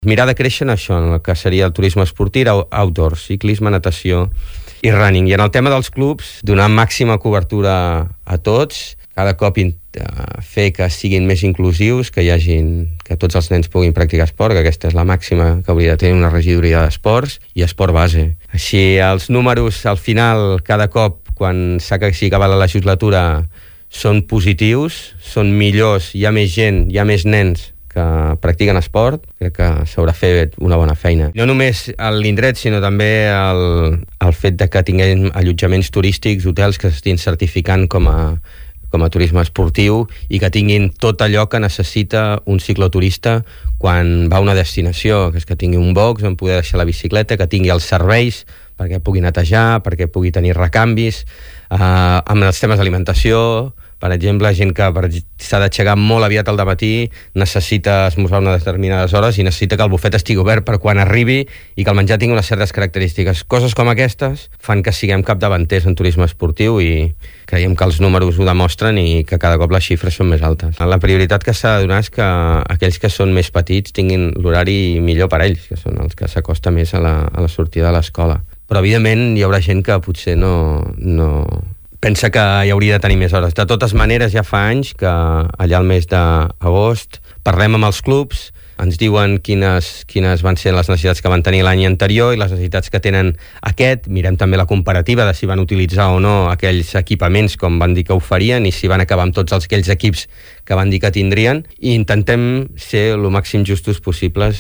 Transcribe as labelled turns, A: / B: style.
A: Mirar de créixer en això, en el que seria el turisme esportiu, outdoor, ciclisme, natació i running. I en el tema dels clubs, donar màxima cobertura a tots, cada cop fer que siguin més inclusius, que tots els nens puguin practicar esport, que aquesta és la màxima que hauria de tenir una regidoria d'esports, i esport base. Així, els números, al final, cada cop, quan s'ha acabat la legislatura, són positius, són millors, hi ha més gent, hi ha més nens que practiquen esport, crec que s'haurà fet una bona feina. No només l'indret, sinó també el fet de que tinguem allotjaments turístics, hotels que s'estiguin certificant com a turisme esportiu i que tinguin tot allò que necessita un cicloturista quan va a una destinació, que és que tingui un box on poder deixar la bicicleta, que tingui els serveis perquè pugui netejar, perquè pugui tenir recanvis, amb els temes d'alimentació. Per exemple, gent que s'ha d'aixecar molt aviat al dematí, necessita esmorzar a unes determinades hores i necessita que el bufet estigui obert per quan arribi i que el menjar tingui unes certes característiques. Coses com aquestes fan que siguem capdavanters en turisme esportiu i creiem que els números ho demostren i que cada cop les xifres són més altes. La prioritat que s'ha de donar és que aquells que són més petits tinguin l'horari millor per a ells, que són els que s'acosta més a la sortida de l'escola. Però, evidentment, hi haurà gent que potser no pensa que hi hauria de tenir més hores. De totes maneres, ja fa anys que allà al mes d'agost parlem amb els clubs, ens diuen quines van ser les necessitats que van tenir l'any anterior i les necessitats que tenen aquest. Mirem també la comparativa de si van utilitzar o no aquells equipaments com van dir que ho farien i si van acabar amb tots aquells equips que van dir que tindrien, i intentem ser el màxim justos possibles.